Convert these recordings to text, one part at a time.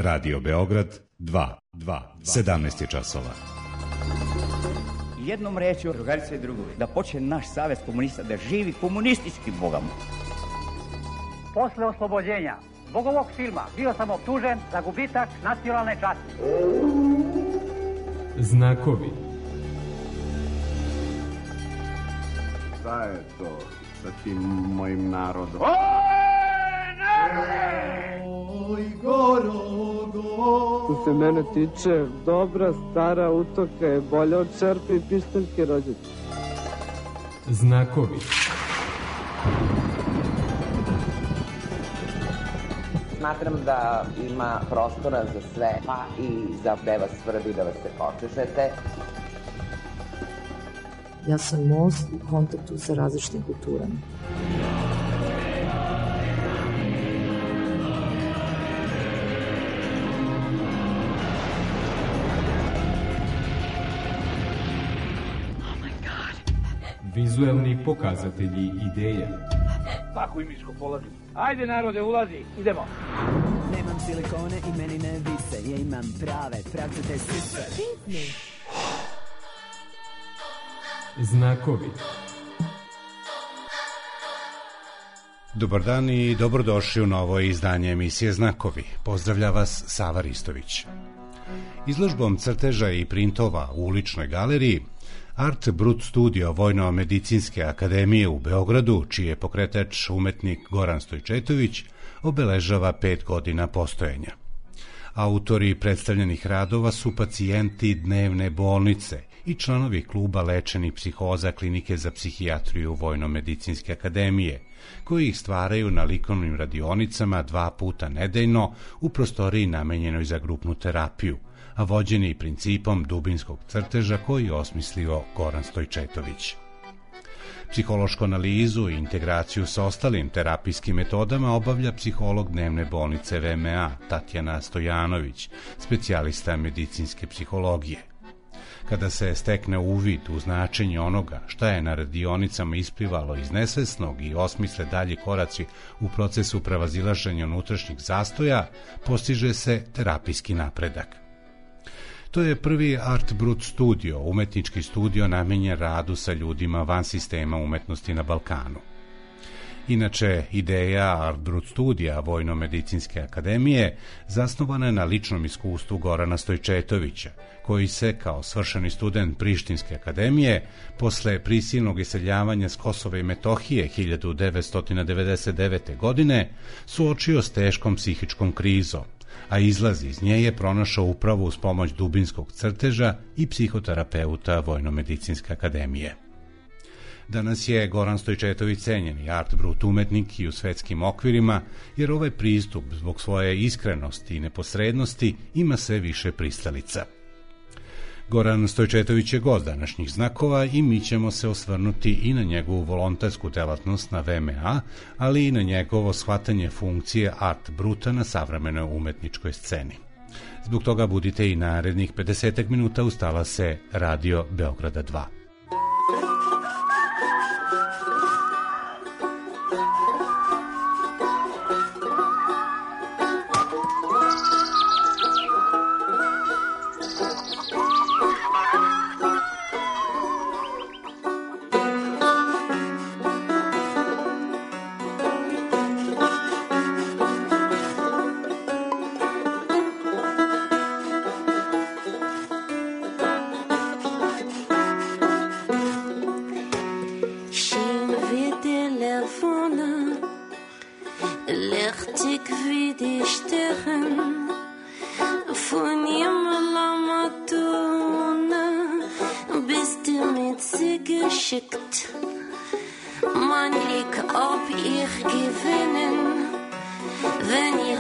Radio Beograd 2, 17 časova. Jednom rečju, drugarice i drugovi, da počne naš savez komunista da živi komunistički, Boga mu. Posle oslobođenja zbog ovog filma bio sam optužen za gubitak nacionalne časti. Znakovi. Šta je to sa tim mojim narodom? Oj, Gorogo. Što se mene tiče, dobra stara utoka je bolja od čerpe i pištaljke rođačke. Znakovi. Smatram da ima prostora za sve, pa i za gde vas svrbi da vas se počešete. Ja sam most u kontaktu sa različitim kulturama. Vizuelni pokazatelji ideja. Tako i miško polazi. Ajde narode, ulazi, idemo. Nemam silikone i meni ne vise, ja imam prave, pravcate sise. Znakovi. Dobar dan i dobrodošli u novo izdanje emisije Znakovi. Pozdravlja vas Sava Ristović. Izložbom crteža i printova u uličnoj galeriji Art Brut Studio Vojno-medicinske akademije u Beogradu, čiji je pokretač umetnik Goran Stojčetović, obeležava 5 godina postojanja. Autori predstavljenih radova su pacijenti dnevne bolnice i članovi kluba lečenih psihoza Klinike za psihijatriju Vojno-medicinske akademije, koji ih stvaraju na likovnim radionicama 2 puta nedeljno u prostoriji namenjenoj za grupnu terapiju, a vođeni principom dubinskog crteža koji je osmislio Goran Stojčetović. Psihološku analizu i integraciju sa ostalim terapijskim metodama obavlja psiholog dnevne bolnice VMA Tatjana Stojanović, specijalista medicinske psihologije. Kada se stekne uvid u značenje onoga šta je na radionicama isplivalo iz nesvesnog i osmisle dalji koraci u procesu prevazilaženja unutrašnjih zastoja, postiže se terapijski napredak. To je prvi Art Brut Studio, umetnički studio namenjen radu sa ljudima van sistema umetnosti na Balkanu. Inače, ideja Art Brut Studija Vojno-medicinske akademije zasnovana je na ličnom iskustvu Gorana Stojčetovića, koji se, kao svršeni student Prištinske akademije, posle prisilnog iseljavanja s Kosova i Metohije 1999. godine, suočio s teškom psihičkom krizom, a izlaz iz nje je pronašao upravo uz pomoć dubinskog crteža i psihoterapeuta Vojno-medicinske akademije. Danas je Goran Stojčetović cenjeni Art Brut umetnik i u svetskim okvirima, jer ovaj pristup zbog svoje iskrenosti i neposrednosti ima sve više pristalica. Goran Stojčetović je gost današnjih Znakova i mi ćemo se osvrnuti i na njegovu volontersku delatnost na VMA, ali i na njegovo shvatanje funkcije Art Bruta na savremenoj umetničkoj sceni. Zbog toga budite i narednih 50 minuta uz talase Radio Beograda 2. Mir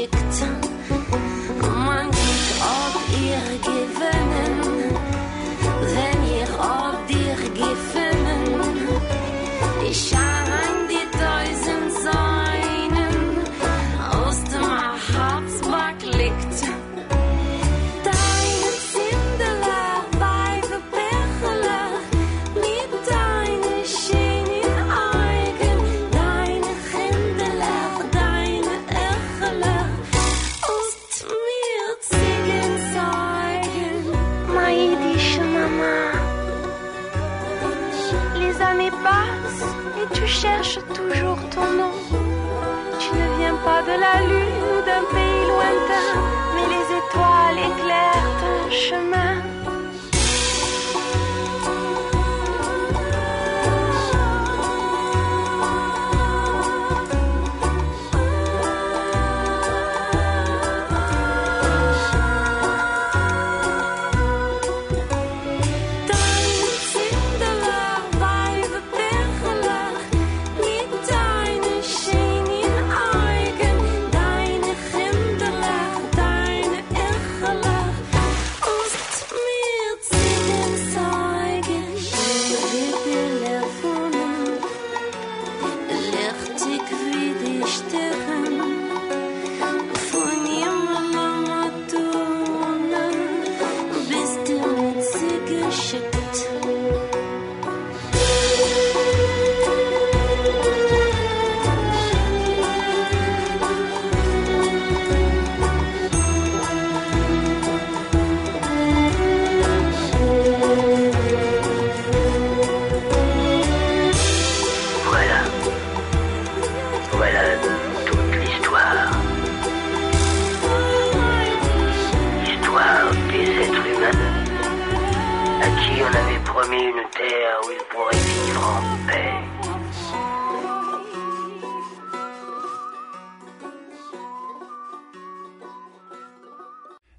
geschickt. Man sieht, ob ihr gewinnen, wenn ihr ob dir gewinnen. Die Scharen, die tausend Säunen aus dem Harzback liegt. Deine Zindeler, Weibe, Perler, mit deinen schönen Augen, deine Händeler, deine Ercheler, aus mir Ziegen zeigen. Ma jiddische Mama, les années passent et tu cherches toujours ton nom. Tu ne viens pas de la lune, d'un pays lointain, mais les étoiles éclairent ton chemin.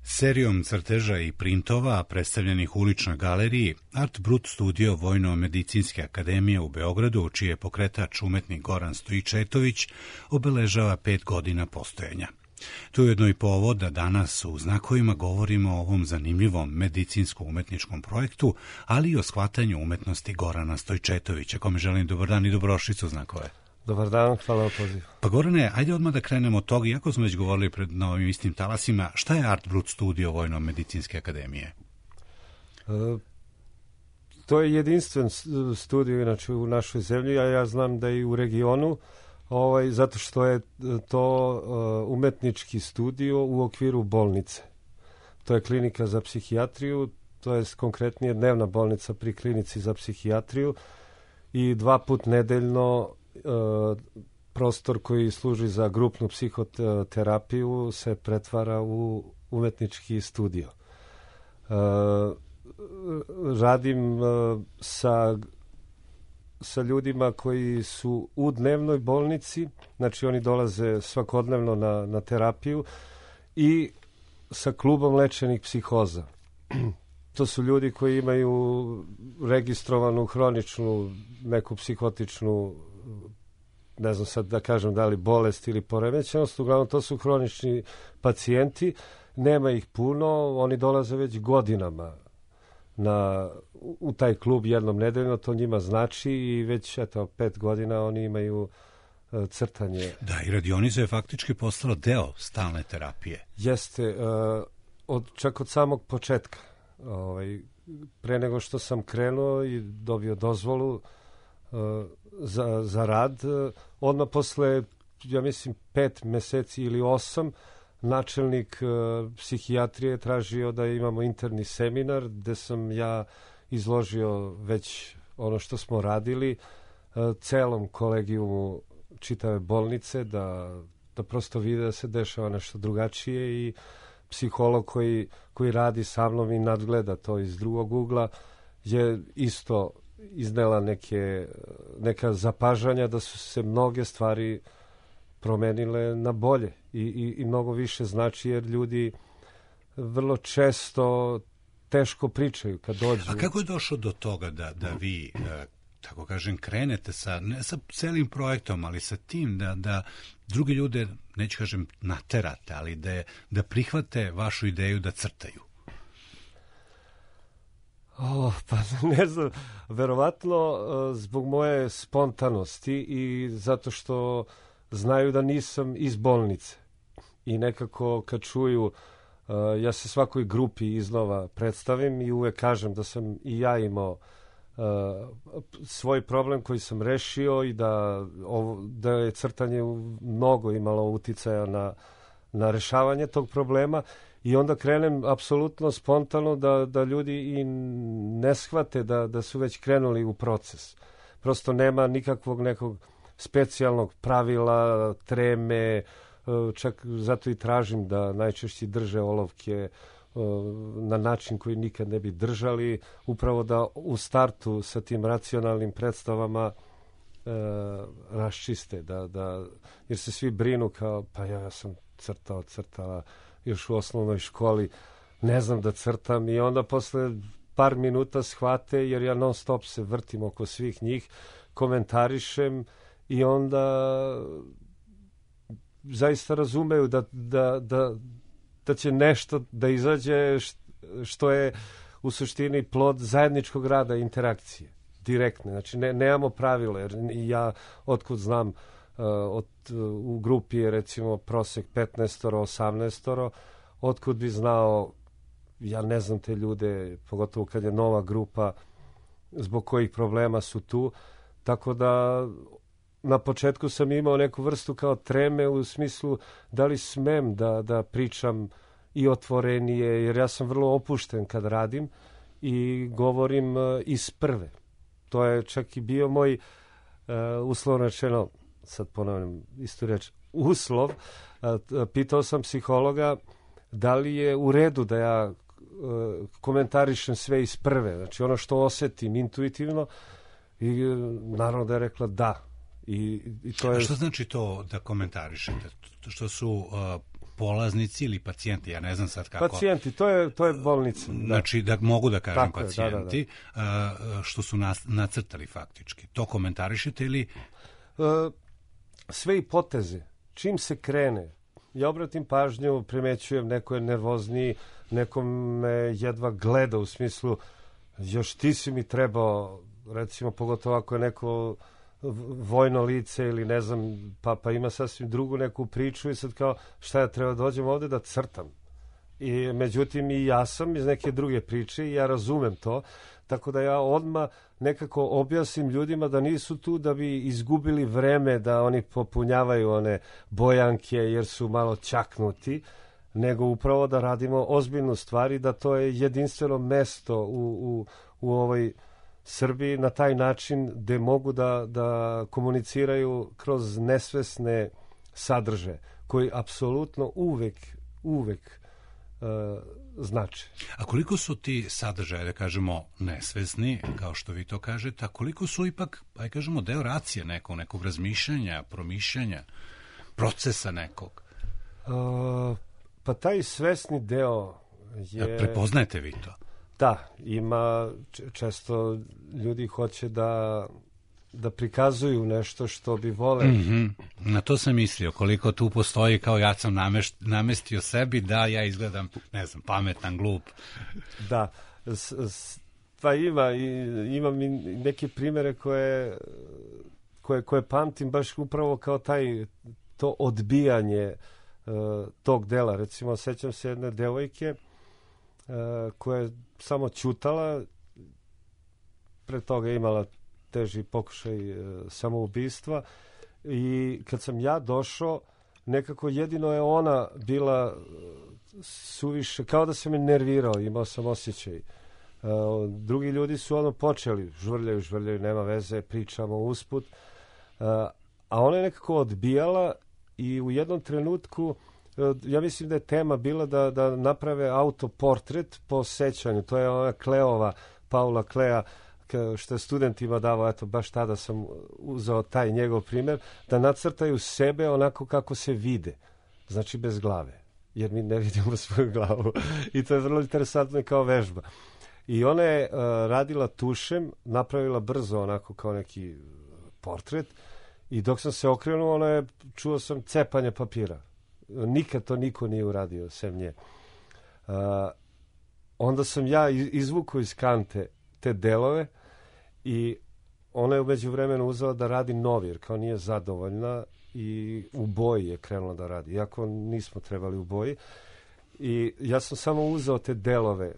Serijom crteža i printova predstavljenih u uličnoj galeriji Art Brut studio Vojno-medicinske akademije u Beogradu, čiji je pokretač umetnik Goran Stojičetović, obeležava 5 godina postojanja. To je ujedno i povod da danas u Znakovima govorimo o ovom zanimljivom medicinsko-umetničkom projektu, ali i o shvatanju umetnosti Gorana Stojičetovića, kome želim dobar dan i dobrodošlicu u Znakove. Dobar dan, hvala na pozivu. Pa Gorane, ajde odmah da krenemo od toga, iako smo već govorili pred novim istim talasima, šta je Art Brut studio Vojno-medicinske akademije? To je jedinstven studio inače u našoj zemlji, a ja znam da i u regionu, zato što je to umetnički studio u okviru bolnice. To je klinika za psihijatriju, to je konkretnije dnevna bolnica pri klinici za psihijatriju i 2 puta nedeljno prostor koji služi za grupnu psihoterapiju se pretvara u umetnički studio. Radim sa ljudima koji su u dnevnoj bolnici, znači oni dolaze svakodnevno na terapiju, i sa klubom lečenih psihoza. To su ljudi koji imaju registrovanu hroničnu neku psihotičnu, ne znam sad da kažem da li bolest ili poremećenost, uglavnom to su hronični pacijenti, nema ih puno, oni dolaze već godinama u taj klub jednom nedeljno, to njima znači, i već 5 godina oni imaju crtanje. Da, i radionica je faktički postala deo stalne terapije. Jeste, čak od samog početka. Pre nego što sam krenuo i dobio dozvolu za rad, odmah posle, ja mislim, 5 meseci ili 8, načelnik psihijatrije tražio da imamo interni seminar gde sam ja izložio već ono što smo radili celom kolegijumu čitave bolnice, da prosto vide da se dešava nešto drugačije, i psiholog koji radi sa mnom i nadgleda to iz drugog ugla je isto iznela neka zapažanja da su se mnoge stvari promenile na bolje i mnogo više znači, jer ljudi vrlo često teško pričaju kad dođu. A kako je došlo do toga da vi tako kažem, krenete ne sa celim projektom, ali sa tim da drugi ljude, neću kažem naterate, ali da prihvate vašu ideju da crtaju? Pa ne znam, verovatno zbog moje spontanosti i zato što znaju da nisam iz bolnice. I nekako kad čuju, ja se svakoj grupi iznova predstavim i uvek kažem da sam i ja imao svoj problem koji sam rešio i da je crtanje mnogo imalo uticaja na rešavanje tog problema. I onda krenem apsolutno spontano da ljudi i ne shvate da su već krenuli u proces. Prosto nema nikakvog nekog specijalnog pravila, treme, čak zato i tražim da najčešće drže olovke na način koji nikad ne bi držali, upravo da u startu sa tim racionalnim predstavama raščiste, jer se svi brinu kao, pa ja sam crtala još u osnovnoj školi, ne znam da crtam, i onda posle par minuta shvate, jer ja non stop se vrtim oko svih njih, komentarišem i onda zaista razumeju da će nešto da izađe što je u suštini plod zajedničkog rada i interakcije, direktne. Znači, nemamo pravila, jer ja otkud znam, u grupi je recimo prosek 15-18, otkud bi znao, ja ne znam te ljude, pogotovo kad je nova grupa, zbog kojih problema su tu, tako da na početku sam imao neku vrstu kao treme u smislu da li smem da pričam i otvorenije, jer ja sam vrlo opušten kad radim i govorim iz prve. To je čak i bio moj uslovno rečeno, sad ponavljam istu reč, uslov. Pitao sam psihologa da li je u redu da ja komentarišem sve iz prve, znači ono što osetim intuitivno, i naravno da je rekla da. I to je... A što znači to da komentarišete? Što su polaznici ili pacijenti? Ja ne znam sad kako... Pacijenti, to je bolnica. Znači, da mogu da kažem tako pacijenti, što su nacrtali faktički. To komentarišete ili... Sve i poteze. Čim se krene, ja obratim pažnju, primećujem, neko je nervozniji, neko me jedva gleda u smislu, još ti si mi trebao, recimo, pogotovo ako je neko vojno lice ili ne znam, pa ima sasvim drugu neku priču i sad kao, šta ja treba dođem ovde da crtam. I međutim i ja sam iz neke druge priče i ja razumem to, tako da ja odmah nekako objasnim ljudima da nisu tu da bi izgubili vreme da oni popunjavaju one bojanke jer su malo čaknuti, nego upravo da radimo ozbiljnu stvar i da to je jedinstveno mesto u ovoj Srbiji na taj način gde mogu da komuniciraju kroz nesvesne sadržaje koji apsolutno uvek znače. A koliko su ti sadržaje, da kažemo, nesvesni, kao što vi to kažete, a koliko su ipak, aj kažemo, deo racije nekog razmišljanja, promišljanja, procesa nekog? Pa taj svesni deo je... Prepoznajete vi to? Da, ima često ljudi hoće da prikazuju nešto što bi vole. Na to sam mislio, koliko tu postoji, kao ja sam namestio sebi da ja izgledam, ne znam, pametan, glup. Da, pa imam i neke primere koje pamtim baš upravo kao to odbijanje tog dela. Recimo, sećam se jedne devojke koja je samo ćutala, pre toga je imala teži pokušaj samoubistva i kad sam ja došao, nekako jedino je ona bila suviše, kao da sam je nervirao, imao sam osjećaj. Drugi ljudi su počeli, žvrljaju, nema veze, pričamo usput, a ona je nekako odbijala i u jednom trenutku, ja mislim da je tema bila da naprave autoportret po sećanju. To je ona Kleova, Paula Klea, što je studentima davao, eto, baš tada sam uzeo taj njegov primjer, da nacrtaju sebe onako kako se vide. Znači bez glave, jer mi ne vidimo svoju glavu. I to je vrlo interesantno kao vežba. I ona je radila tušem, napravila brzo onako kao neki portret i dok sam se okrenuo, čuo sam cepanje papira. Nikad to niko nije uradio, sem nje. Onda sam ja izvukao iz kante te delove i ona je umeđu vremenu uzela da radi novi, jer kao nije zadovoljna i u boji je krenula da radi, iako nismo trebali u boji. I ja sam samo uzeo te delove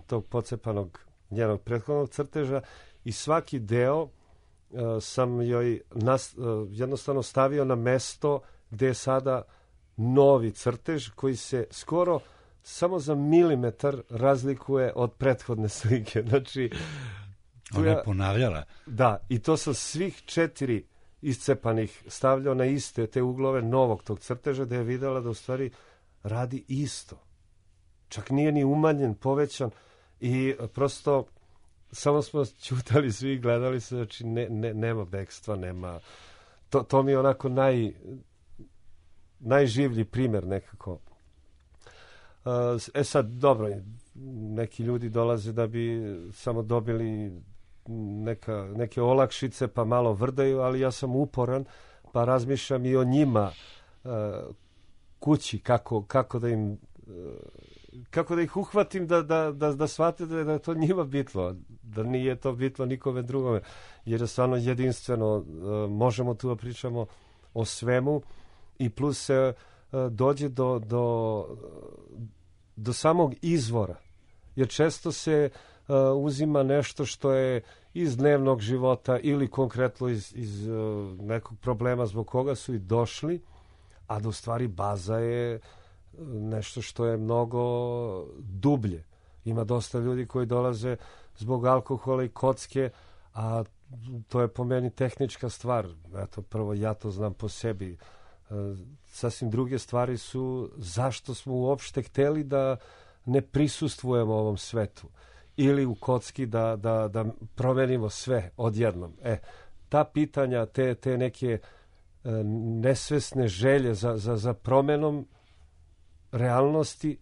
tog pocepanog njenog prethodnog crteža i svaki deo sam joj jednostavno stavio na mesto gde je sada novi crtež koji se skoro samo za milimetar razlikuje od prethodne slike. Znači, ona je ponavljala. Da, i to sam svih 4 iscepanih stavljao na iste te uglove novog tog crteža, da je videla da u stvari radi isto. Čak nije ni umanjen, povećan i prosto samo smo ćutali svi i gledali se, znači nema bekstva, nema... To mi je onako najživlji primjer nekako. Sad, dobro, neki ljudi dolaze da bi samo dobili neke olakšice pa malo vrdaju, ali ja sam uporan pa razmišljam i o njima kući, kako da im kako da ih uhvatim da shvate da je to njima bitno, da nije to bitno nikome drugome, jer je stvarno jedinstveno. Možemo tu da pričamo o svemu i plus se dođe do samog izvora, jer često se uzima nešto što je iz dnevnog života ili konkretno iz nekog problema zbog koga su i došli, a da u stvari baza je nešto što je mnogo dublje. Ima dosta ljudi koji dolaze zbog alkohola i kocke, a to je po meni tehnička stvar. Eto, prvo ja to znam po sebi. Sasvim druge stvari su zašto smo uopšte hteli da ne prisustvujemo ovom svetu ili u kocki da promenimo sve odjednom. Ta pitanja, te neke nesvesne želje za promenom realnosti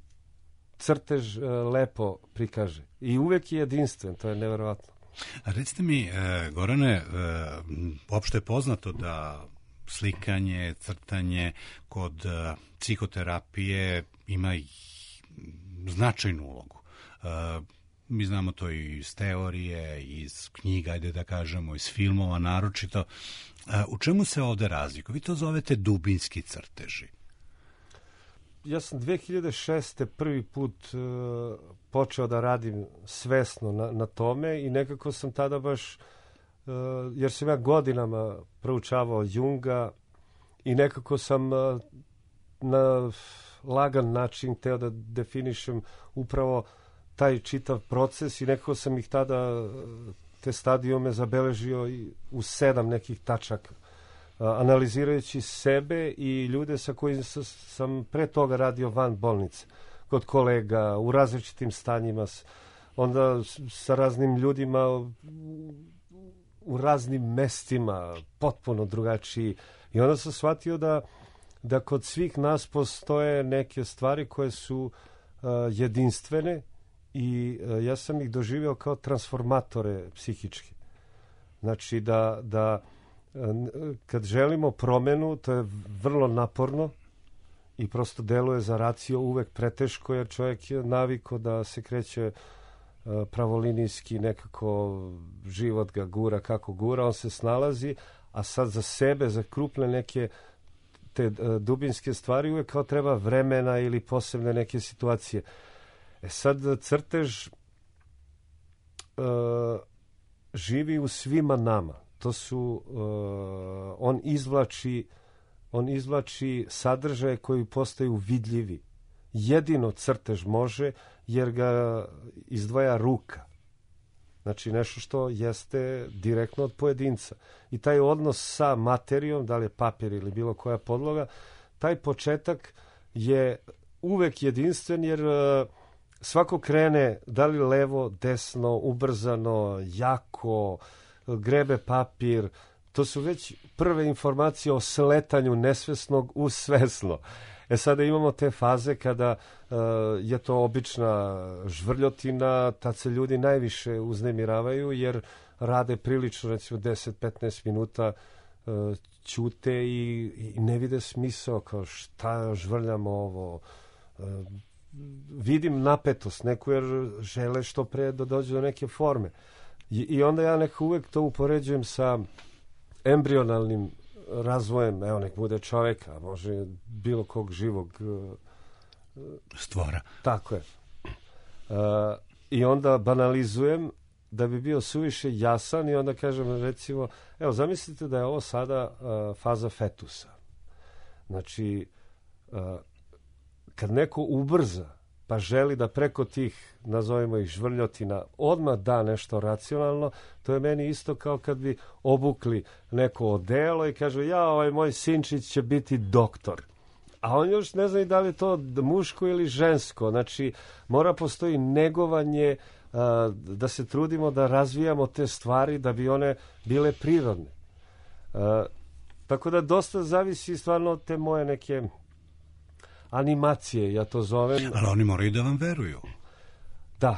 crtež lepo prikaže. I uvek je jedinstven, to je neverovatno. Recite mi, Gorane, opšte je poznato da slikanje, crtanje kod psihoterapije ima značajnu ulogu. Mi znamo to i iz teorije, iz knjiga, ajde da kažemo, iz filmova naročito. U čemu se ovde razlikuje? Vi to zovete dubinski crteži. Ja sam 2006. prvi put počeo da radim svesno na tome i nekako sam tada baš, jer sam ja godinama proučavao Junga i nekako sam na lagan način hteo da definišem upravo taj čitav proces i nekako sam ih tada, te stadijume, zabeležio u 7 nekih tačaka. Analizirajući sebe i ljude sa kojima sam pre toga radio van bolnice, kod kolega, u različitim stanjima, onda sa raznim ljudima u raznim mestima, potpuno drugačiji. I onda sam shvatio da kod svih nas postoje neke stvari koje su jedinstvene i ja sam ih doživio kao transformatore psihičke. Znači da kad želimo promenu, to je vrlo naporno i prosto deluje za racio uvek preteško, jer čovjek je navikao da se kreće pravolinijski, nekako život ga gura kako gura, on se snalazi, a sad za sebe, za krupne neke te dubinske stvari uvek kao treba vremena ili posebne neke situacije. Sad crtež živi u svima nama. To su, on izvlači sadržaje koji postaju vidljivi. Jedino crtež može, jer ga izdvaja ruka. Znači nešto što jeste direktno od pojedinca. I taj odnos sa materijom, da li je papir ili bilo koja podloga, taj početak je uvek jedinstven, jer svako krene, da li levo, desno, ubrzano, jako, grebe papir, to su već prve informacije o sletanju nesvesnog u svesno. Sada imamo te faze kada je to obična žvrljotina, tad se ljudi najviše uznemiravaju jer rade prilično, recimo 10-15 minuta ćute i ne vide smisao, kao šta žvrljamo ovo. Vidim napetost neku jer žele što pre da dođu do neke forme. I onda ja nekako uvek to upoređujem sa embrionalnim razvojem, evo nek bude čoveka, može bilo kog živog stvora. Tako je. I onda banalizujem da bi bio suviše jasan i onda kažem recimo, evo zamislite da je ovo sada faza fetusa. Znači, kad neko ubrza pa želi da preko tih, nazovimo ih žvrljotina, odmah da nešto racionalno, to je meni isto kao kad bi obukli neko odelo i kaže, ja, ovaj moj sinčić će biti doktor. A on još ne zna i da li je to muško ili žensko. Znači, mora postoji negovanje, da se trudimo da razvijamo te stvari da bi one bile prirodne. Tako da dosta zavisi stvarno od te moje neke animacije, ja to zovem. Ali oni moraju da vam veruju. Da.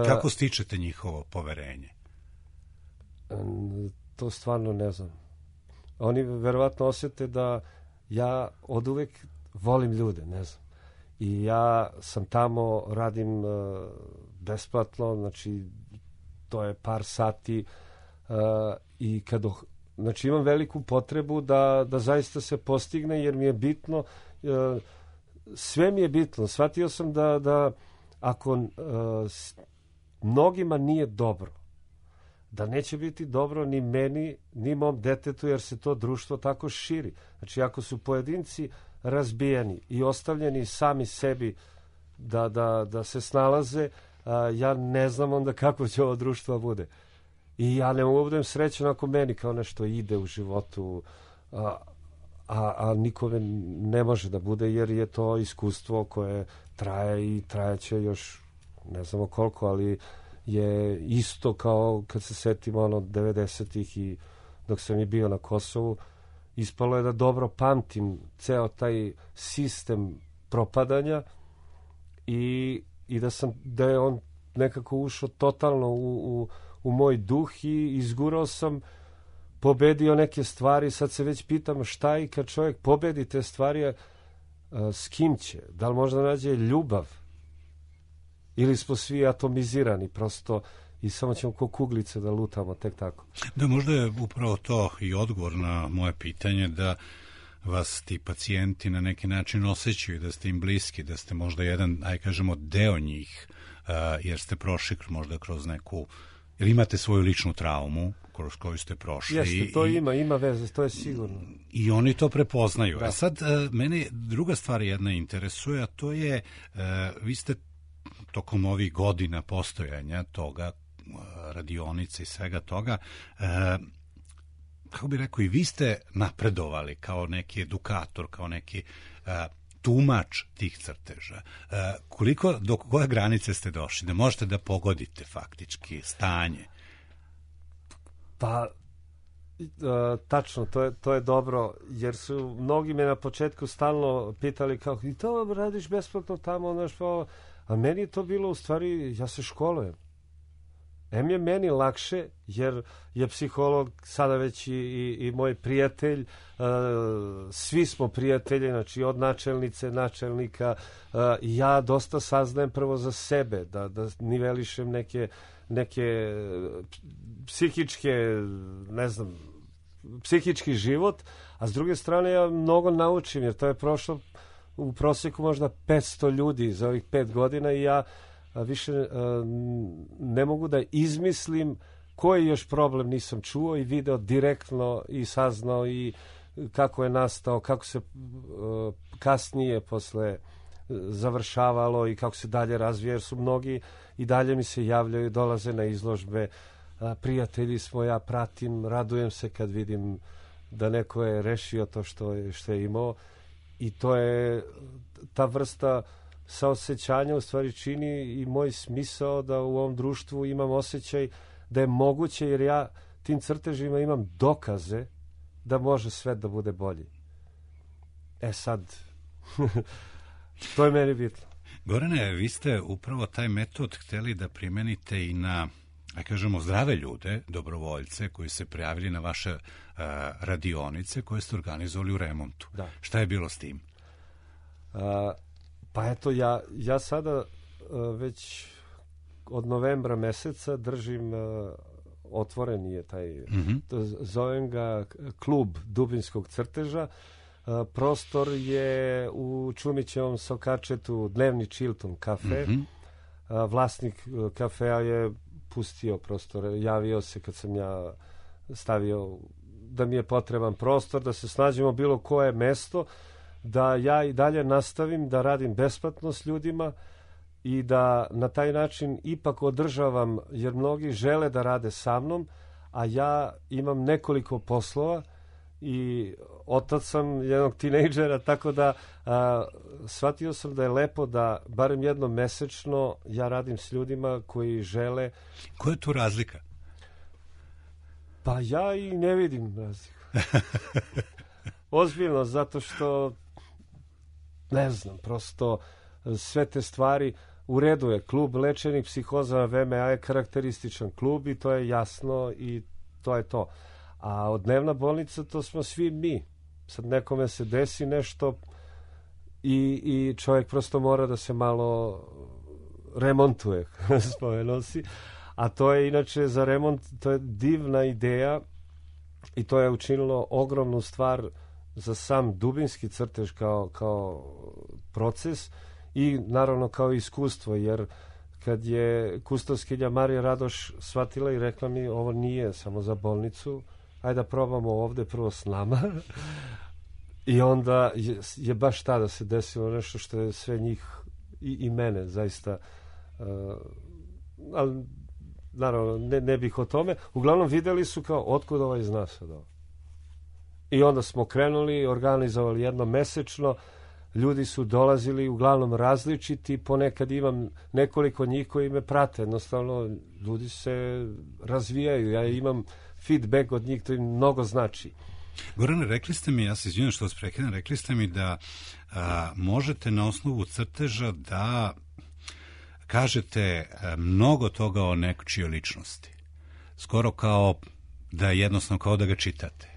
Kako stičete njihovo poverenje? To stvarno ne znam. Oni verovatno osjete da ja oduvek volim ljude, ne znam. I ja sam tamo, radim besplatno, znači to je par sati i kad znači imam veliku potrebu da zaista se postigne jer mi je bitno, sve mi je bitno. Shvatio sam da ako mnogima nije dobro, da neće biti dobro ni meni, ni mom detetu jer se to društvo tako širi. Znači ako su pojedinci razbijeni i ostavljeni sami sebi da se snalaze, ja ne znam onda kako će ovo društvo bude. I ja ne mogu budem srećan ako meni kao nešto ide u životu, a nikome ne može da bude jer je to iskustvo koje traje i trajeće još ne znamo koliko, ali je isto kao kad se setimo 90-ih i dok sam i bio na Kosovu, ispalo je da dobro pamtim ceo taj sistem propadanja i da je on nekako ušao totalno u moj duh i izgurao sam, pobedio neke stvari, sad se već pitam šta i kad čovjek pobedi te stvari, s kim će? Da li možda nađe ljubav? Ili smo svi atomizirani prosto i samo ćemo ko kuglice da lutamo tek tako? Da, možda je upravo to i odgovor na moje pitanje da vas ti pacijenti na neki način osjećaju, da ste im bliski, da ste možda jedan, aj kažemo, deo njih, jer ste prošli možda kroz neku, jer imate svoju ličnu traumu kroz koju ste prošli. Jeste, to ima veze, to je sigurno. I oni to prepoznaju. Da. A sad, mene druga stvar jedna interesuje, a to je, vi ste tokom ovih godina postojanja toga, radionice i svega toga, kako bih rekao, i vi ste napredovali kao neki edukator, kao neki tumač tih crteža. Do koje granice ste došli? Da možete da pogodite faktički stanje? Pa, tačno, to je dobro, jer su mnogi me na početku stalno pitali kao, i to radiš besplatno tamo, znaš, a meni je to bilo u stvari, ja se školujem. Je meni lakše, jer je psiholog sada već i moj prijatelj, svi smo prijatelji, znači od načelnika, ja dosta saznajem prvo za sebe, da nivelišem neke psihičke, ne znam, psihički život, a s druge strane ja mnogo naučim, jer to je prošlo u prosjeku možda 500 ljudi za ovih 5 godina i ja više ne mogu da izmislim koji još problem nisam čuo i video direktno i saznao i kako je nastao, kako se kasnije posle završavalo i kako se dalje razvija, jer su mnogi i dalje mi se javljaju, dolaze na izložbe, prijatelji smo, ja pratim, radujem se kad vidim da neko je rešio to što je imao i to je ta vrsta saosećanja u stvari čini i moj smisao da u ovom društvu imam osjećaj da je moguće, jer ja tim crtežima imam dokaze da može sve da bude bolje. sad, to je meni bitno. Gorane, vi ste upravo taj metod hteli da primenite i na, kažemo, zdrave ljude, dobrovoljce koji se prijavili na vaše radionice koje ste organizovali u Remontu. Da. Šta je bilo s tim? Pa eto, ja sada već od novembra meseca držim, otvoren je taj, zovem ga klub Dubinskog crteža. Prostor je u Čumićevom Sokačetu, dnevni Chilton kafe. Vlasnik kafea je pustio prostor, javio se kad sam ja stavio da mi je potreban prostor, da se snađemo bilo koje mesto, da ja i dalje nastavim da radim besplatno s ljudima i da na taj način ipak održavam, jer mnogi žele da rade sa mnom, a ja imam nekoliko poslova i otac sam jednog tinejdžera, tako da shvatio sam da je lepo da barem jednom mesečno ja radim s ljudima koji žele. Koja je tu razlika? Pa ja i ne vidim razliku. Ozbiljno, zato što ne znam, prosto sve te stvari u redu je. Klub lečenih psihoza VMA je karakterističan klub i to je jasno i to je to. A od dnevna bolnica to smo svi mi. Sad nekome se desi nešto i čovjek prosto mora da se malo remontuje, spomenuo si. A to je inače za remont, to je divna ideja i to je učinilo ogromnu stvar za sam Dubinski crtež kao proces i naravno kao iskustvo, jer kad je kustoskinja Marija Radoš shvatila i rekla mi ovo nije samo za bolnicu, ajde da probamo ovde prvo s nama. I onda je baš tada se desilo nešto što je sve njih i mene zaista, ali naravno ne bih o tome. Uglavnom videli su kao otkud ovaj zna sad ovo. I onda smo krenuli, organizovali jednom mesečno, ljudi su dolazili uglavnom različiti, ponekad imam nekoliko njih koji me prate, jednostavno ljudi se razvijaju, ja imam feedback od njih, to im mnogo znači. Gorane, rekli ste mi, ja se izvinjam što vas prekidam, rekli ste mi da možete na osnovu crteža da kažete mnogo toga o nečijoj ličnosti. Skoro kao da jednostavno kao da ga čitate.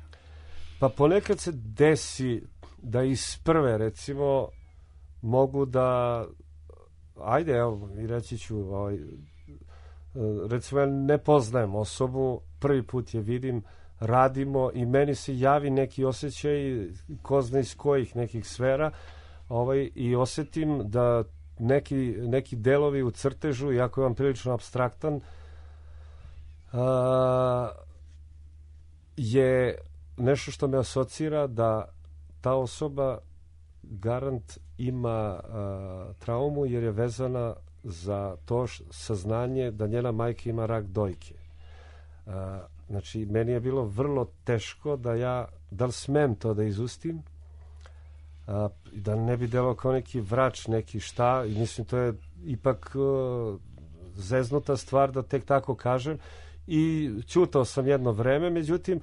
Pa ponekad se desi da iz prve, recimo, mogu da ajde, evo, i reći ću recimo, ja ne poznajem osobu, prvi put je vidim, radimo i meni se javi neki osjećaj, ko zna iz kojih nekih sfera, i osetim da neki delovi u crtežu, iako je on prilično apstraktan, je nešto što me asocira da ta osoba garant ima traumu jer je vezana za to saznanje da njena majka ima rak dojke. Znači, meni je bilo vrlo teško da li smem to da izustim, da ne bi delao kao neki vrač, neki šta, i mislim to je ipak zeznuta stvar da tek tako kažem, i ćutao sam jedno vreme, međutim,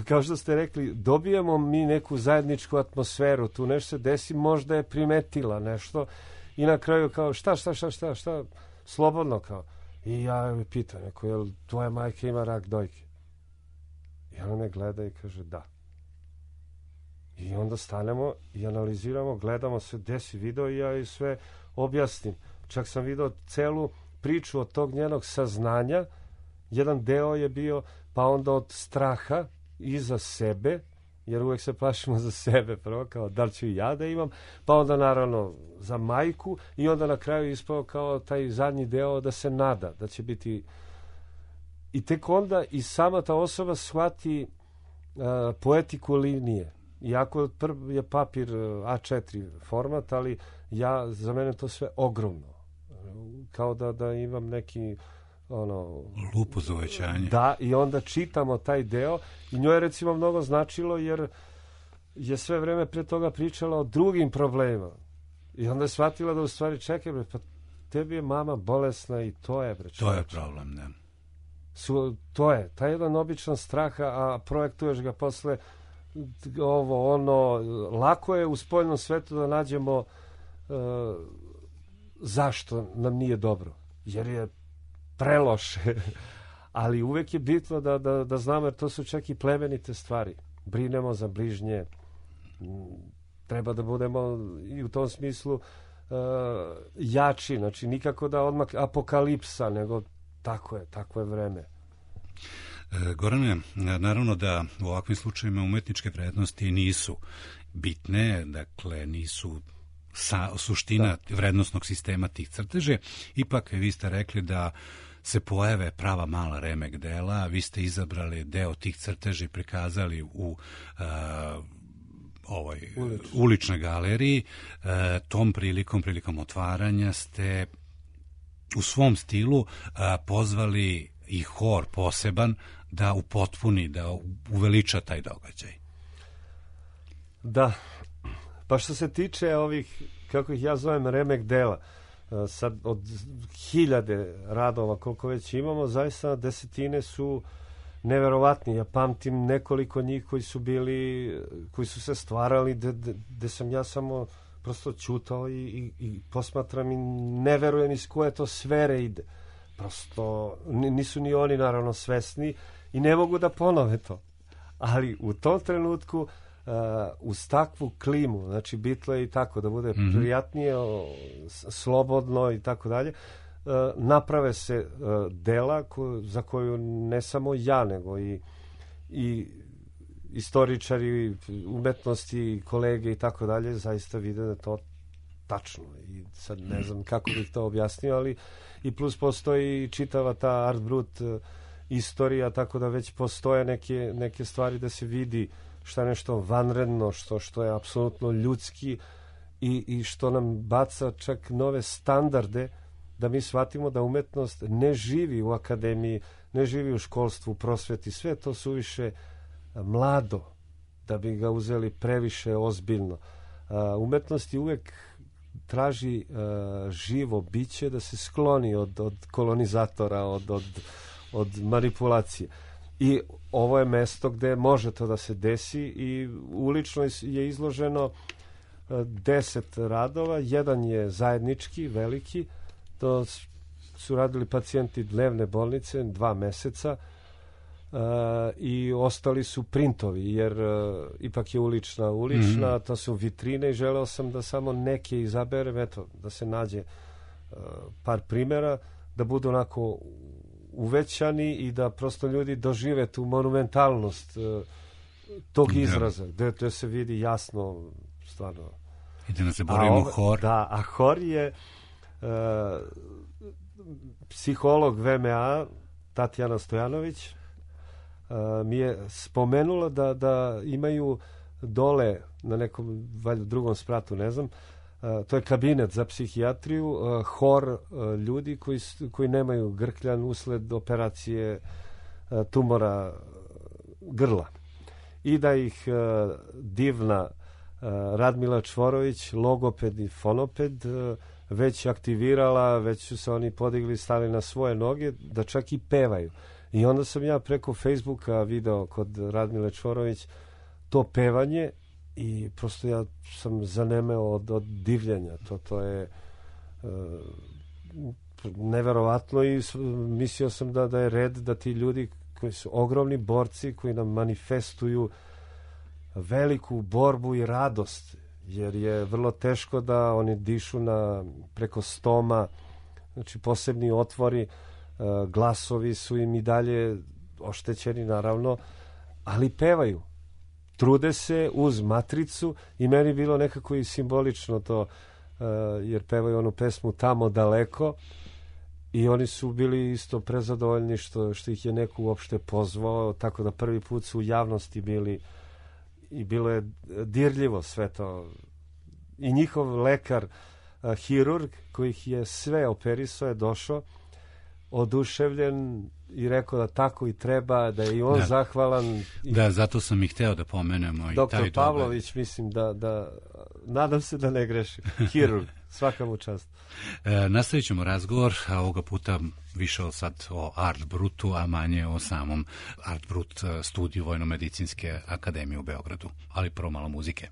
kao što ste rekli, dobijemo mi neku zajedničku atmosferu, tu nešto se desi, možda je primetila nešto i na kraju kao šta, slobodno kao. I ja mi pitam, neko, jel tvoja majka ima rak dojke? I ona me gleda i kaže da. I onda stanemo i analiziramo, gledamo se, desi video i ja i sve objasnim. Čak sam video celu priču od tog njenog saznanja, jedan deo je bio, pa onda od straha i za sebe, jer uvek se plašimo za sebe prvo, kao da li ću i ja da imam, pa onda naravno za majku i onda na kraju ispao kao taj zadnji deo da se nada, da će biti, i tek onda i sama ta osoba shvati poetiku linije. Iako je papir A4 format, ali za mene to sve ogromno. Kao da imam neki lupu za uvećanje. Da, i onda čitamo taj deo i njoj je recimo mnogo značilo jer je sve vreme pre toga pričala o drugim problemima. I onda je shvatila da u stvari čekaj, pa tebi je mama bolesna i to je, to je problem, ne. To je, taj jedan običan strah, a projektuješ ga posle ovo, ono, lako je u spoljnom svetu da nađemo zašto nam nije dobro, jer je preloše, ali uvek je bitno da znamo, jer to su čak i plemenite stvari. Brinemo za bližnje, treba da budemo i u tom smislu jači, znači nikako da odmah apokalipsa, nego tako je vreme. Gorane, naravno da u ovakvim slučajima umetničke vrednosti nisu bitne, dakle nisu suština vrednostnog sistema tih crteže. Ipak vi ste rekli da se pojave prava mala remek dela, vi ste izabrali deo tih crteži i prikazali u uličnoj galeriji. Tom prilikom otvaranja ste u svom stilu pozvali i hor poseban da upotpuni, da uveliča taj događaj. Da, pa što se tiče ovih, kako ih ja zovem, remek dela, sad od 1000 radova koliko već imamo, zaista desetine su neverovatni. Ja pamtim nekoliko njih koji su se stvarali, gde sam ja samo prosto ćutao i posmatram i ne verujem iz koje to sfere ide. Prosto nisu ni oni naravno svesni i ne mogu da ponove to. Ali u tom trenutku uz takvu klimu, znači bitlo je i tako da bude prijatnije, slobodno i tako dalje, naprave se dela za koju ne samo ja, nego i istoričari umetnosti, kolege i tako dalje zaista vide da je to tačno. I sad ne znam kako bih to objasnio, ali i plus postoji čitava ta Art Brut istorija, tako da već postoje neke stvari da se vidi šta je nešto vanredno, što je apsolutno ljudski i što nam baca čak nove standarde da mi shvatimo da umetnost ne živi u akademiji, ne živi u školstvu, u prosveti, sve to suviše mlado da bi ga uzeli previše ozbiljno. Umetnost je uvek traži živo biće da se skloni od kolonizatora, od manipulacije. I ovo je mesto gde može to da se desi i ulično je izloženo 10 radova, jedan je zajednički, veliki, to su radili pacijenti dnevne bolnice 2 meseca i ostali su printovi, jer ipak je ulična, to su vitrine i želeo sam da samo neke izaberem, eto, da se nađe par primjera, da budu onako uvećani i da prosto ljudi dožive tu monumentalnost tog izraza, gde se vidi jasno stvarno. I da ne zaboravimo hor. Da, a hor je psiholog VMA Tatjana Stojanović mi je spomenula da imaju dole na nekom valjda drugom spratu, ne znam, to je kabinet za psihijatriju, hor ljudi koji nemaju grkljan usled operacije tumora grla. I da ih divna Radmila Čvorović, logoped i fonoped, već aktivirala, već su se oni podigli, stali na svoje noge, da čak i pevaju. I onda sam ja preko Facebooka video kod Radmile Čvorović to pevanje i prosto ja sam zanemeo od divljenja. To je neverovatno i mislio sam da je red da ti ljudi koji su ogromni borci, koji nam manifestuju veliku borbu i radost, jer je vrlo teško da oni dišu preko stoma, znači posebni otvori, glasovi su im i dalje oštećeni naravno, ali pevaju, trude se uz matricu i meni bilo nekako i simbolično to, jer pevaju onu pesmu Tamo daleko i oni su bili isto prezadovoljni što ih je neko uopšte pozvao, tako da prvi put su u javnosti bili i bilo je dirljivo sve to. I njihov lekar, hirurg, koji ih je sve operisao, je došao oduševljen i rekao da tako i treba, da je i on zahvalan. Da, zato sam i hteo da pomenemo i Doktor Pavlović, mislim da nadam se da ne grešim, hirurg, Svaka mu čast. Nastavit ćemo razgovor, a ovoga puta više sad o Art Brutu, a manje o samom Art Brut studiju Vojno-medicinske akademije u Beogradu. Ali prvo malo muzike.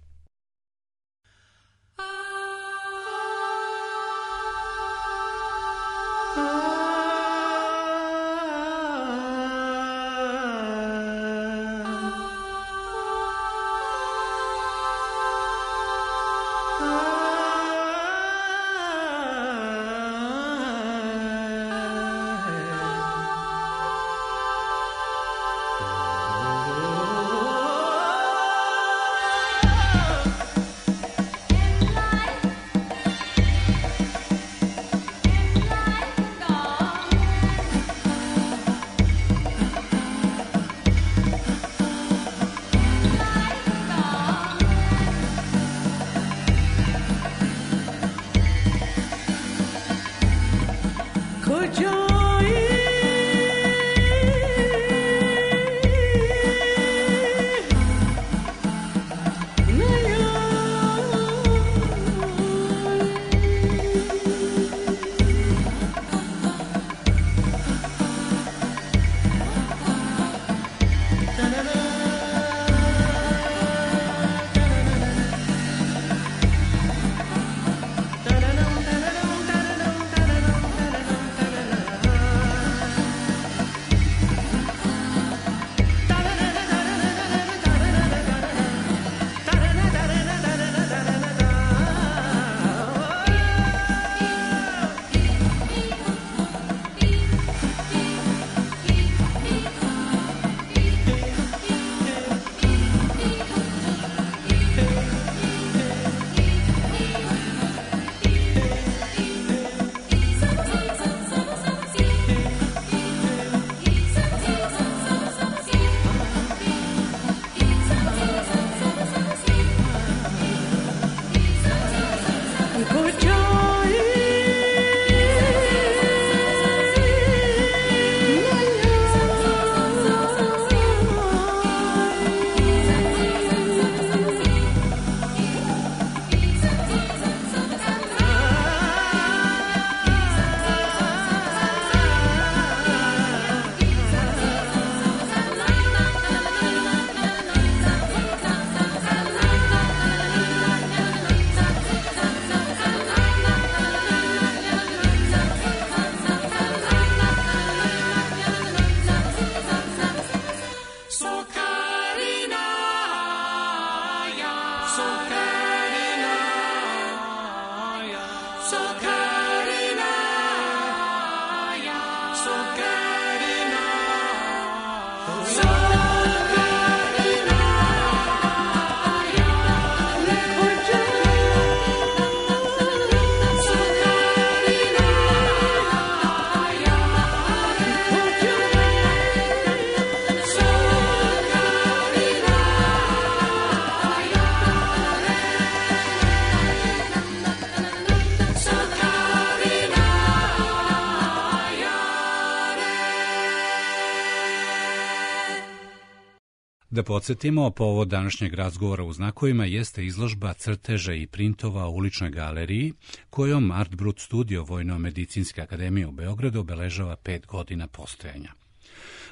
Da podsjetimo, povod današnjeg razgovora u znakovima jeste izložba crteža i printova u uličnoj galeriji, kojom Art Brut studio Vojno-medicinske akademije u Beogradu obeležava 5 godina postojanja.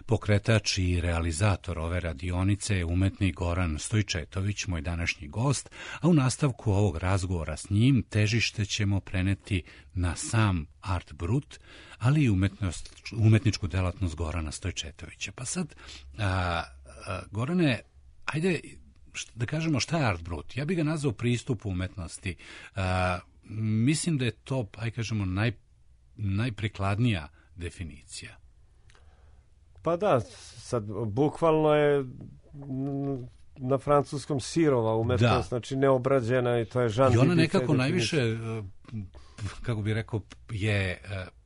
Pokretač i realizator ove radionice je umetnik Goran Stojčetović, moj današnji gost, a u nastavku ovog razgovora s njim težište ćemo preneti na sam Art Brut, ali i umetničku delatnost Gorana Stojčetovića. Pa sad, Gorane, ajde da kažemo šta je Art Brut. Ja bih ga nazvao pristup umetnosti. Mislim da je to, ajde kažemo, najprikladnija definicija. Pa da, sad bukvalno je na francuskom sirova umetnost, znači neobrađena i to je žan. I ona nekako najviše, kako bih rekao, je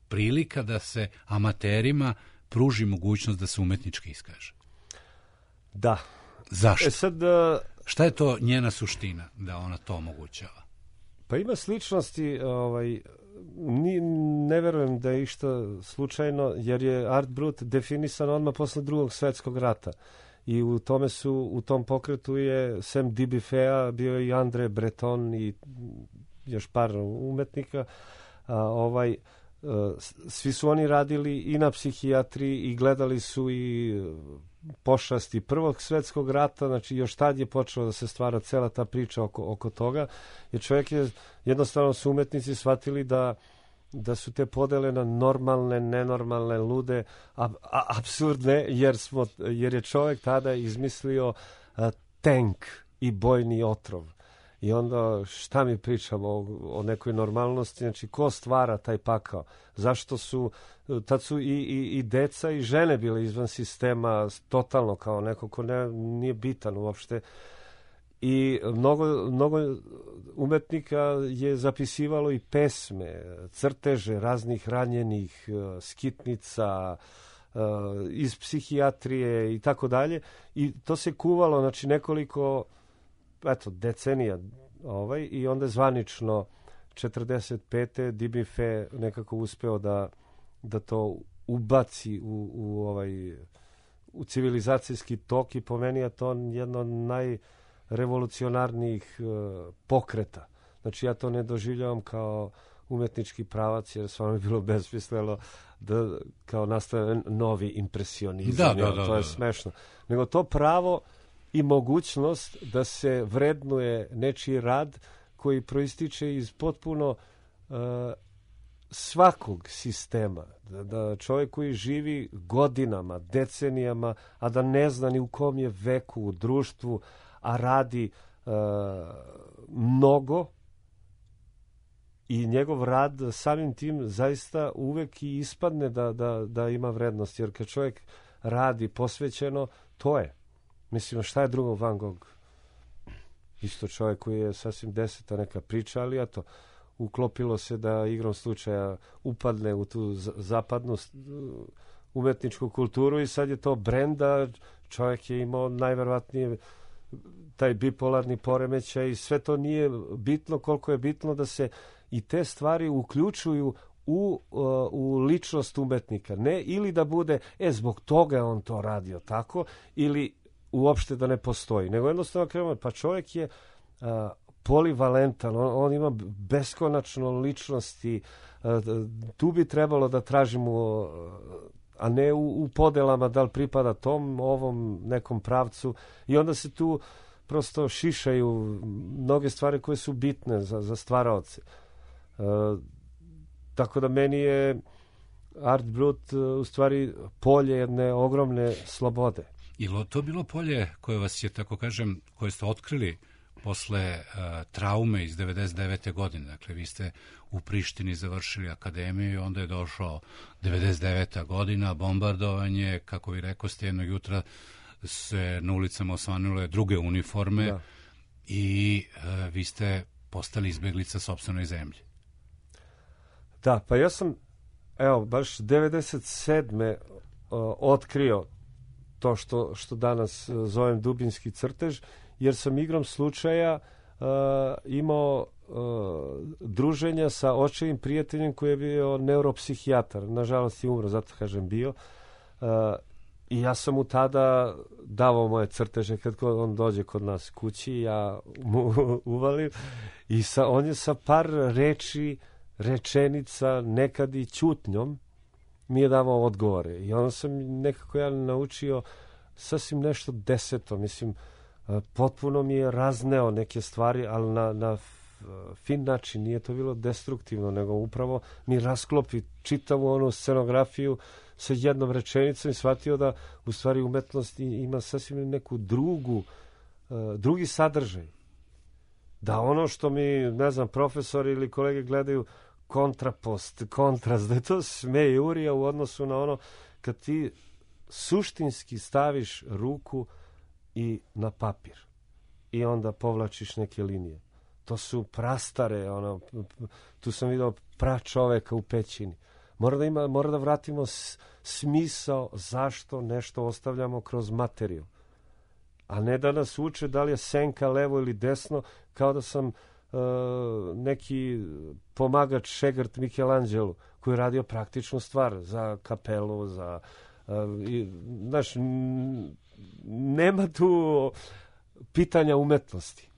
prilika da se amaterima pruži mogućnost da se umetnički iskaže. Da. Zašto? Šta je to njena suština da ona to omogućava? Pa ima sličnosti, ne verujem da je išta slučajno, jer je Art Brut definisan odmah posle Drugog svetskog rata. I u tom pokretu je sem Dibifea bio i André Breton i još par umetnika, svi su oni radili i na psihijatriji i gledali su i pošasti Prvog svjetskog rata, znači još tad je počela da se stvara cela ta priča oko toga, jer čovjek je, jednostavno su umetnici shvatili da su te podele na normalne, nenormalne, lude, apsurdne, jer je čovjek tada izmislio tank i bojni otrov. I onda šta mi pričamo o nekoj normalnosti, znači ko stvara taj pakao? Zašto su, tad su i deca i žene bile izvan sistema totalno kao neko ko nije bitan uopšte. I mnogo umetnika je zapisivalo i pesme, crteže raznih ranjenih, skitnica, iz psihijatrije i tako dalje. I to se kuvalo, znači nekoliko decenija i onda zvanično 45. Dibife nekako uspeo da to ubaci u civilizacijski tok i po meni je to jedno od najrevolucionarnijih pokreta. Znači ja to ne doživljavam kao umetnički pravac, jer stvarno je bilo besmisleno da kao nastaje novi impresionizam. To je smešno. Nego to pravo i mogućnost da se vrednuje nečiji rad koji proističe iz potpuno svakog sistema. Da čovjek koji živi godinama, decenijama, a da ne zna ni u kom je veku u društvu, a radi mnogo i njegov rad samim tim zaista uvek i ispadne da ima vrednost. Jer kad čovjek radi posvećeno, to je. Mislim, šta je drugo Van Gogh? Isto čovjek koji je sasvim deseta neka priča, ali eto, uklopilo se da igrom slučaja upadne u tu zapadnu umetničku kulturu i sad je to brend, da čovjek je imao najverovatnije taj bipolarni poremećaj i sve to nije bitno koliko je bitno da se i te stvari uključuju u ličnost umetnika. Ne ili da bude, zbog toga je on to radio tako, ili uopšte da ne postoji. Nego jednostavno krenemo, pa čovjek je polivalentan, on ima beskonačno ličnosti, tu bi trebalo da tražimo, a ne u podelama da li pripada tom, ovom nekom pravcu, i onda se tu prosto šišaju mnoge stvari koje su bitne za stvaraoce. Tako da meni je Art Brut u stvari polje jedne ogromne slobode. Ili to bilo polje koje vas je, tako kažem, koje ste otkrili posle traume iz 99. godine? Dakle, vi ste u Prištini završili akademiju i onda je došao 99. godina, bombardovanje, kako vi rekoste, jednog jutra se na ulicama osvanule druge uniforme i vi ste postali izbeglica sopstvenoj zemlji. Da, pa ja sam, baš 97. otkrio to što danas zovem dubinski crtež, jer sam igrom slučaja imao druženja sa očevim prijateljem koji je bio neuropsihijatar. Nažalost je umro, zato kažem bio. I ja sam mu tada davao moje crteže kad on dođe kod nas kući, ja mu uvalim i on je sa par rečenica, nekad i ćutnjom mi je davao odgovore. I onda sam nekako ja naučio sasvim nešto deseto. Mislim, potpuno mi je razneo neke stvari, ali na fin način. Nije to bilo destruktivno, nego upravo mi rasklopi čitavu onu scenografiju sa jednom rečenicom i shvatio da u stvari umetnost ima sasvim neku drugi sadržaj. Da ono što mi, ne znam, profesori ili kolege gledaju kontrapost, kontrast, da je to smejurija u odnosu na ono kad ti suštinski staviš ruku i na papir i onda povlačiš neke linije. To su prastare, tu sam vidio pračoveka u pećini. Mora da vratimo smisao zašto nešto ostavljamo kroz materiju. A ne da nas uče da li je senka levo ili desno, kao da sam neki pomagač Šegrt Michelangelo koji je radio praktičnu stvar za kapelu, nema tu pitanja umetnosti.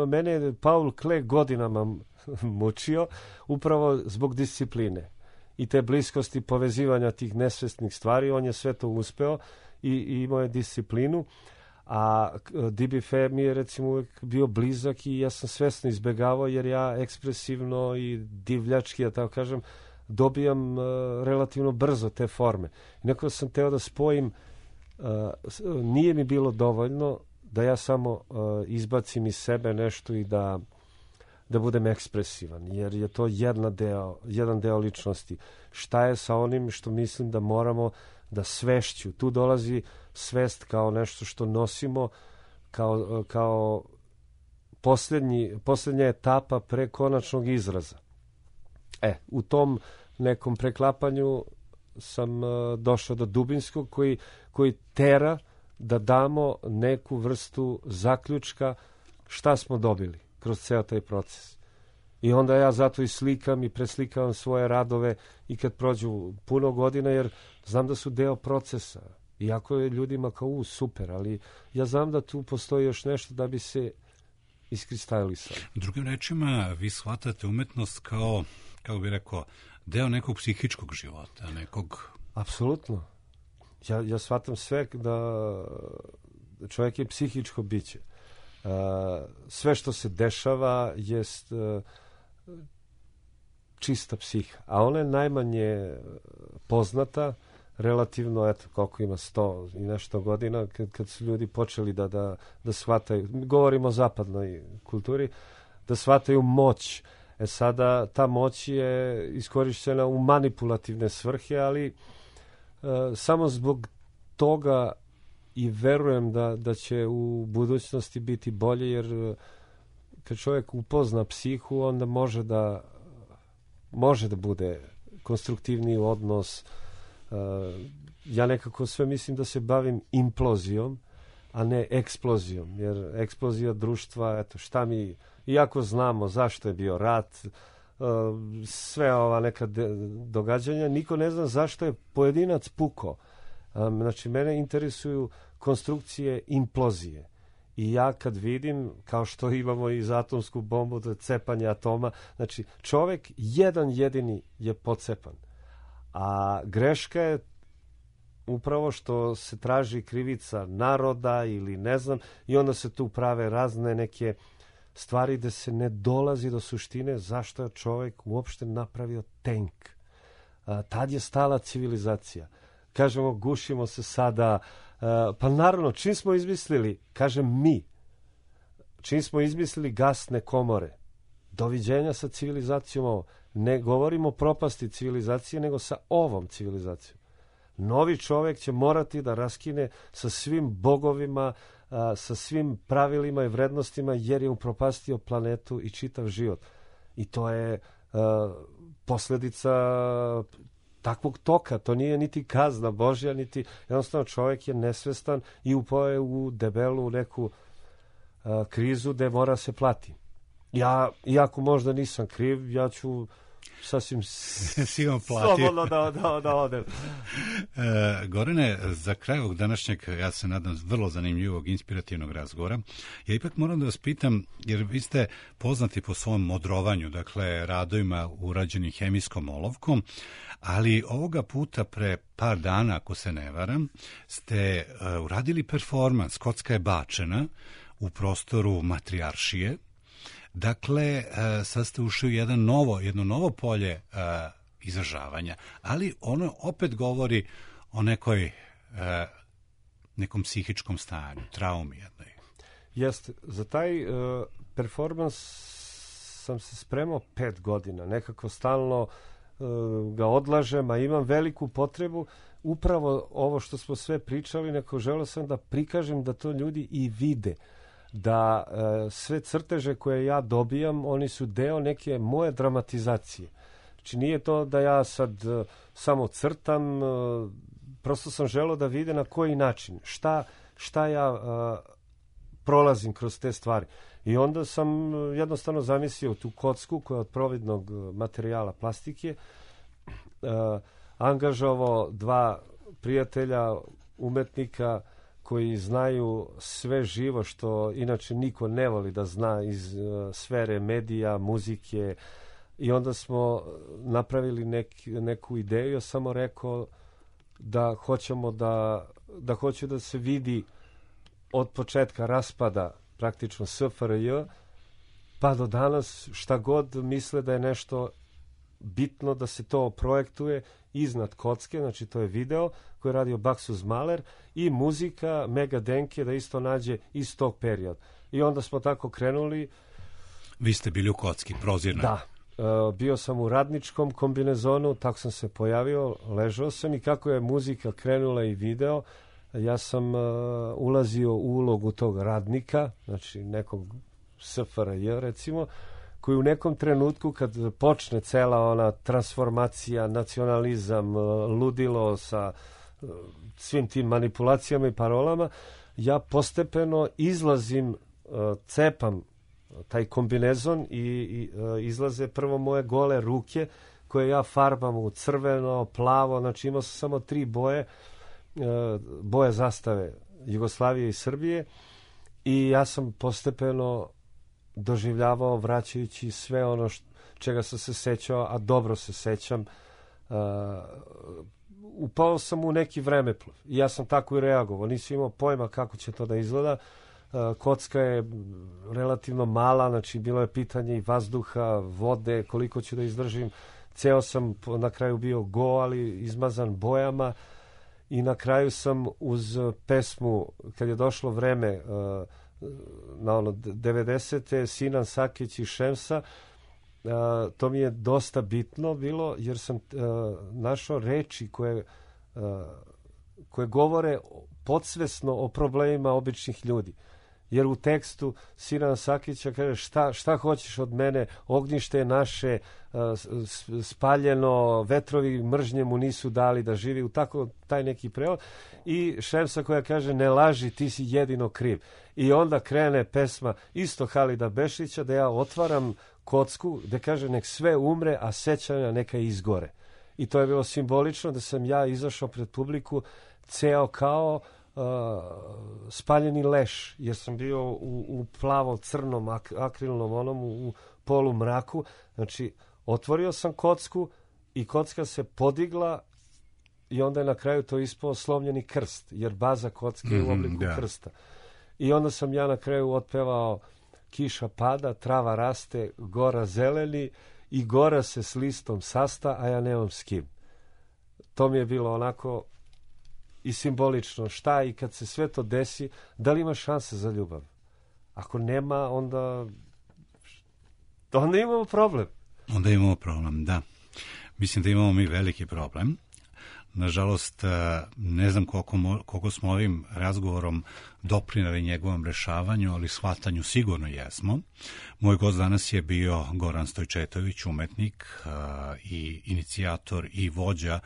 Mene je Paul Klee godinama mučio upravo zbog discipline i te bliskosti povezivanja tih nesvesnih stvari. On je sve to uspeo i imao je disciplinu, a DBF mi je recimo uvijek bio blizak i ja sam svesno izbegavao jer ja ekspresivno i divljački, ja tako kažem, dobijam relativno brzo te forme. I nekako sam teo da spojim, nije mi bilo dovoljno da ja samo izbacim iz sebe nešto i da budem ekspresivan, jer je to jedan deo ličnosti. Šta je sa onim što mislim da moramo da svešću? Tu dolazi svest kao nešto što nosimo, kao posljednja etapa pre konačnog izraza. U tom nekom preklapanju sam došao do dubinskog koji tera da damo neku vrstu zaključka šta smo dobili kroz ceo taj proces. I onda ja zato i slikam i preslikavam svoje radove i kad prođu puno godina, jer znam da su deo procesa. Iako je ljudima kao super, ali ja znam da tu postoji još nešto da bi se iskristalisalo. Drugim rečima, vi shvatate umetnost kao, kako bih rekao, deo nekog psihičkog života, nekog... Apsolutno. Ja shvatam sve da čovjek je psihičko biće. Sve što se dešava jest čista psiha, a ona je najmanje poznata, relativno, koliko ima 100 i nešto godina, kad su ljudi počeli da shvataju, govorimo o zapadnoj kulturi, da shvataju moć. Sada ta moć je iskorišćena u manipulativne svrhe, ali samo zbog toga i verujem da će u budućnosti biti bolje, jer kad čovjek upozna psihu, onda može da bude konstruktivniji odnos. Ja nekako sve mislim da se bavim implozijom, a ne eksplozijom, jer eksplozija društva, iako znamo zašto je bio rat, sve ova neka događanja, niko ne zna zašto je pojedinac pukao. Znači, mene interesuju konstrukcije implozije. I ja kad vidim, kao što imamo i za atomsku bombu, to je cepanje atoma, znači čovjek jedan jedini je pocepan. A greška je upravo što se traži krivica naroda ili ne znam, i onda se tu prave razne neke stvari da se ne dolazi do suštine zašto je čovjek uopšte napravio tenk. Tad je stala civilizacija. Kažemo, gušimo se sada. Pa naravno, čim smo izmislili, kažem mi, čim smo izmislili gasne komore, doviđenja sa civilizacijom ovo. Ne govorimo o propasti civilizacije, nego sa ovom civilizacijom. Novi čovjek će morati da raskine sa svim bogovima, sa svim pravilima i vrednostima, jer je upropastio planetu i čitav život. I to je posljedica takvog toka. To nije niti kazna Božja, niti jednostavno čovjek je nesvestan i upao je u debelu neku krizu gde mora se plati. Ja, iako možda nisam kriv, ja ću sasvim slobodno da odem. Gorane, za kraj ovog današnjeg, ja se nadam, vrlo zanimljivog, inspirativnog razgovora, ja ipak moram da vas pitam, jer vi ste poznati po svom modrovanju, dakle, radovima urađenim hemijskom olovkom, ali ovoga puta pre par dana, ako se ne varam, ste uradili performans Kocka je bačena u prostoru Matrijaršije. Dakle, sad ste ušli u jedno novo polje izražavanja, ali ono opet govori o nekom psihičkom stanju, traumi jednoj. Jeste, za taj performans sam se spremao 5 godina, nekako stalno ga odlažem, a imam veliku potrebu, upravo ovo što smo sve pričali, neko želeo sam da prikažem da to ljudi i vide, da sve crteže koje ja dobijam, oni su deo neke moje dramatizacije. Znači nije to da ja sad samo crtam, prosto sam želeo da vide na koji način, šta ja prolazim kroz te stvari. I onda sam jednostavno zamislio tu kocku koja je od providnog materijala plastike, angažovao 2 prijatelja, umetnika koji znaju sve živo što inače niko ne voli da zna iz sfere medija, muzike, i onda smo napravili neku ideju. Ja samo rekao da hoćemo da hoće da se vidi od početka raspada praktično SFRJ pa do danas šta god misle da je nešto bitno da se to projektuje iznad kocke, znači to je video koji je radio Baksuz Maler i muzika Mega Denke da isto nađe iz tog perioda. I onda smo tako krenuli. Vi ste bili u kocki, prozirnoj. Da. Bio sam u radničkom kombinezonu, tako sam se pojavio, ležao sam i kako je muzika krenula i video, ja sam ulazio u ulogu tog radnika, znači nekog SFRJ recimo, koji u nekom trenutku kad počne cela ona transformacija, nacionalizam, ludilo sa svim tim manipulacijama i parolama, ja postepeno izlazim, cepam taj kombinezon i izlaze prvo moje gole ruke koje ja farbam u crveno, plavo, znači imao sam samo 3 boje zastave Jugoslavije i Srbije i ja sam postepeno doživljavao vraćajući sve ono čega sam se sećao, a dobro se sećam. Upao sam u neki vremeplov i ja sam tako i reagovao, nisam imao pojma kako će to da izgleda. Kocka je relativno mala, znači bilo je pitanje i vazduha, vode, koliko ću da izdržim. Ceo sam na kraju bio go, ali izmazan bojama i na kraju sam uz pesmu, kad je došlo vreme na ono 90. Sinan Sakić i Šemsa, to mi je dosta bitno bilo jer sam našao reči koje govore podsvesno o problemima običnih ljudi. Jer u tekstu Sinan Sakića kaže šta hoćeš od mene, ognjište je naše, spaljeno, vetrovi mržnje mu nisu dali da živi, u tako taj neki prevod. I Šemsa koja kaže ne laži, ti si jedino kriv. I onda krene pesma isto Halida Bešića da ja otvaram kocku gde kaže nek sve umre, a sećanja neka izgore. I to je bilo simbolično da sam ja izašao pred publiku ceo kao spaljeni leš, jer sam bio u plavo-crnom akrilnom onom u polu mraku. Znači, otvorio sam kocku i kocka se podigla i onda je na kraju to ispao slomljeni krst, jer baza kocke je u obliku krsta. I onda sam ja na kraju otpevao kiša pada, trava raste, gora zeleni i gora se s listom sasta, a ja nemam s kim. To mi je bilo onako i simbolično šta i kad se sve to desi, da li ima šanse za ljubav? Ako nema, onda imamo problem. Onda imamo problem, da. Mislim da imamo mi veliki problem. Nažalost, ne znam koliko smo ovim razgovorom doprinali njegovom rešavanju, ali shvatanju sigurno jesmo. Moj gost danas je bio Goran Stojčetović, umetnik i inicijator i vođa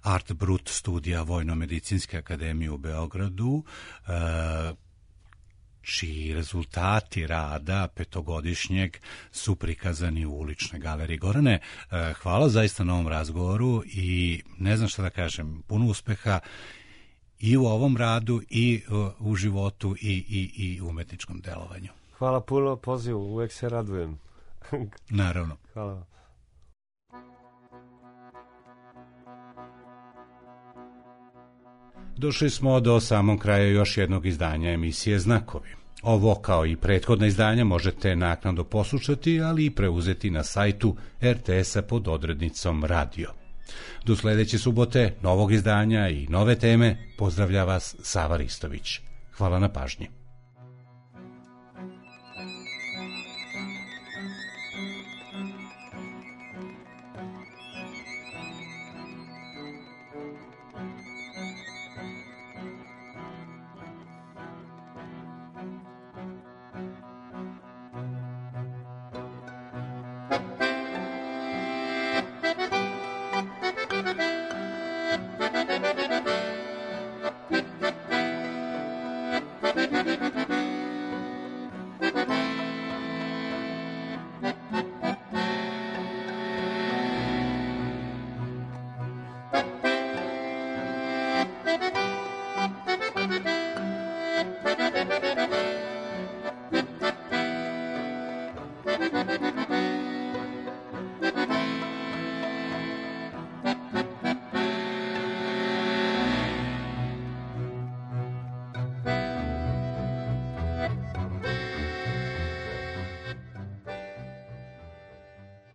Art Brut studija Vojno-medicinske akademije u Beogradu, čiji rezultati rada petogodišnjeg su prikazani u uličnoj galeriji. Gorane, hvala zaista na ovom razgovoru i ne znam šta da kažem, puno uspeha i u ovom radu i u životu i umetničkom delovanju. Hvala puno pozivu, uvek se radujem. Naravno. Hvala. Došli smo do samog kraja još jednog izdanja emisije Znakovi. Ovo, kao i prethodna izdanja, možete naknadno poslušati, ali i preuzeti na sajtu RTS-a pod odrednicom Radio. Do sledeće subote, novog izdanja i nove teme, pozdravlja vas Sava Ristović. Hvala na pažnji.